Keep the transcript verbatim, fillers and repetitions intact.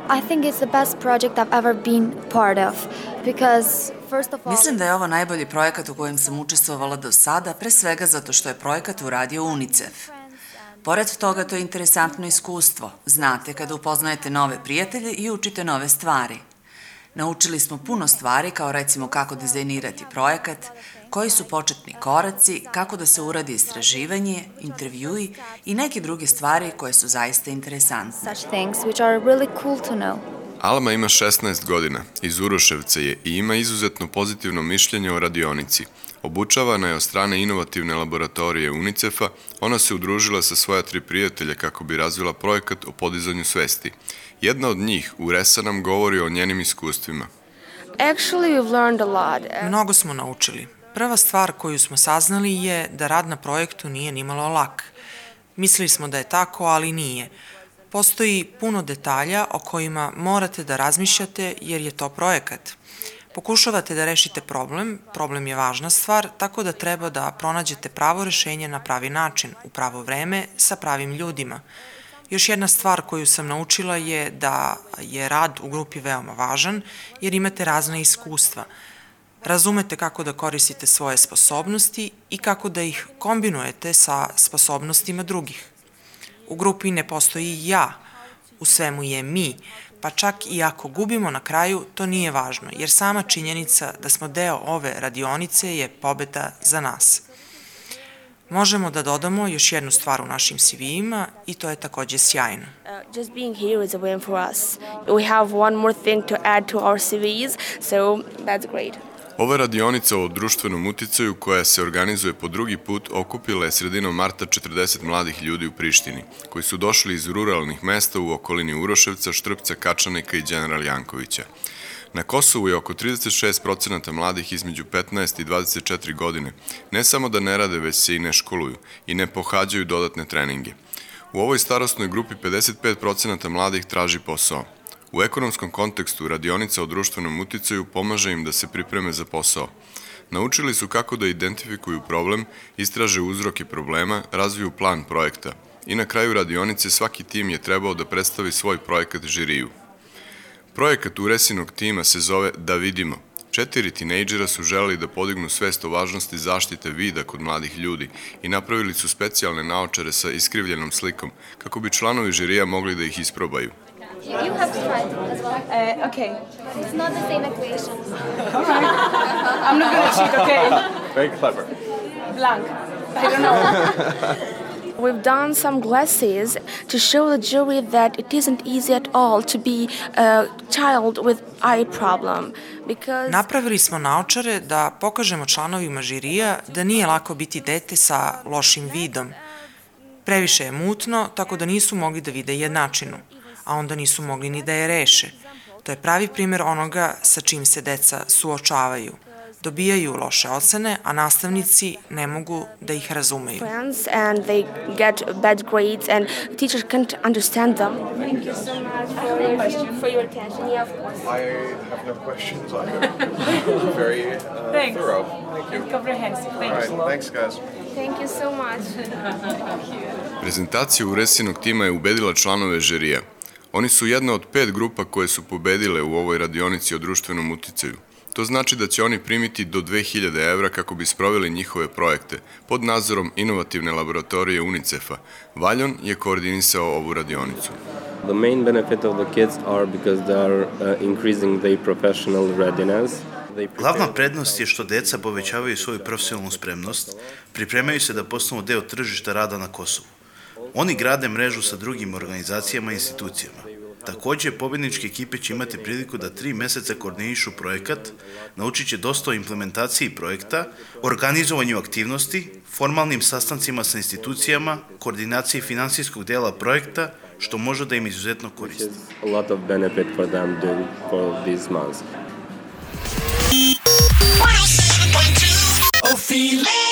I think it's the best project I've ever been part of because first of all Mislim da je ovo najbolji projekat u kojem sam učestvovala do sada, pre svega zato što je projekat uradio UNICEF. Pored toga, to je interesantno iskustvo. Znate kada upoznajete nove prijatelje i učite nove stvari. Naučili smo puno stvari, kao recimo kako dizajnirati projekat, koji su početni koraci, kako da se uradi istraživanje, intervjui i neke druge stvari koje su zaista interesantne. Such things which are really cool to know. Alma ima šesnaest godina, iz Uroševca je i ima izuzetno pozitivno mišljenje o radionici. Obučavana je od strane inovativne laboratorije UNICEF-a, ona se udružila sa svoja tri prijatelja kako bi razvila projekat o podizanju svesti. Jedna od njih, Uresa, nam govori o njenim iskustvima. Actually, we've learned a lot. Mnogo smo naučili. Prva stvar koju smo saznali je da rad na projektu nije nimalo lak. Mislili smo da je tako, ali nije. Postoji puno detalja o kojima morate da razmišljate jer je to projekat. Pokušavate da rešite problem, problem je važna stvar, tako da treba da pronađete pravo rešenje na pravi način, u pravo vreme, sa pravim ljudima. Još jedna stvar koju sam naučila je da je rad u grupi veoma važan jer imate razna iskustva. Razumete kako da koristite svoje sposobnosti i kako da ih kombinujete sa sposobnostima drugih. U grupi ne postoji ja, u svemu je mi, pa čak i ako gubimo na kraju, to nije važno, jer sama činjenica da smo deo ove radionice je pobeda za nas. Možemo da dodamo još jednu stvar u našim C V-ima i to je takođe sjajno. Uh, just being here is a win for us. We have one more thing to add to our C Vs, so that's great. Ova radionica o društvenom uticaju koja se organizuje po drugi put okupila je sredinom marta četrdeset mladih ljudi u Prištini, koji su došli iz ruralnih mesta u okolini Uroševca, Štrpca, Kačanika i Đeneral Jankovića. Na Kosovu je oko trideset šest procenata mladih između petnaest i dvadeset četiri godine. Ne samo da ne rade, već se i ne školuju i ne pohađaju dodatne treninge. U ovoj starosnoj grupi pedeset pet procenata mladih traži posao. U ekonomskom kontekstu radionica o društvenom uticaju pomaže im da se pripreme za posao. Naučili su kako da identifikuju problem, istraže uzroke problema, razviju plan projekta i na kraju radionice svaki tim je trebao da predstavi svoj projekat žiriju. Projekat Uresinog tima se zove Da vidimo. Četiri tinejdžera su želeli da podignu svest o važnosti zaštite vida kod mladih ljudi i napravili su specijalne naočare sa iskrivljenom slikom kako bi članovi žirija mogli da ih isprobaju. You have to try it as well. Uh, okay. It's not the same equation. All right. I'm not gonna cheat, okay? Very clever. Blank. I don't know. We've done some glasses to show the jury that it isn't easy at all to be a child with eye problem. Because... Napravili smo naočare da pokažemo članovima žirija da nije lako biti dete sa lošim vidom. Previše je mutno, tako da nisu mogli da vide jednačinu, a onda nisu mogli ni da je reše. To je pravi primer onoga sa čim se deca suočavaju. Dobijaju loše ocene, a nastavnici ne mogu da ih razumeju. And they get bad grades and teachers can't understand them. Thank you so much for your, for your attention. Yeah, of course. I have no questions. I'm very uh, Thanks. thorough. Thank you. And comprehensive. All Thanks. right, thanks guys. Thank you so much. Prezentacija Uresinog tima je ubedila članove žirija. Oni su jedna od pet grupa koje su pobedile u ovoj radionici o društvenom uticaju. To znači da će oni primiti do dve hiljade evra kako bi sproveli njihove projekte pod nadzorom inovativne laboratorije UNICEF-a. Valjon je koordinisao ovu radionicu. The main benefit of the kids are because they are uh, increasing their professional readiness. Glavna prednost je što deca povećavaju svoju profesionalnu spremnost, pripremaju se da postanu deo tržišta rada na Kosovu. Oni grade mrežu sa drugim organizacijama i institucijama. Takođe, pobedničke ekipe će imati priliku da tri meseca koordinišu projekat, naučit će dosta o implementaciji projekta, organizovanju aktivnosti, formalnim sastancima sa institucijama, koordinaciji finansijskog dela projekta, što može da im izuzetno koristi. A lot of benefit for them doing for these months. one oh seven point two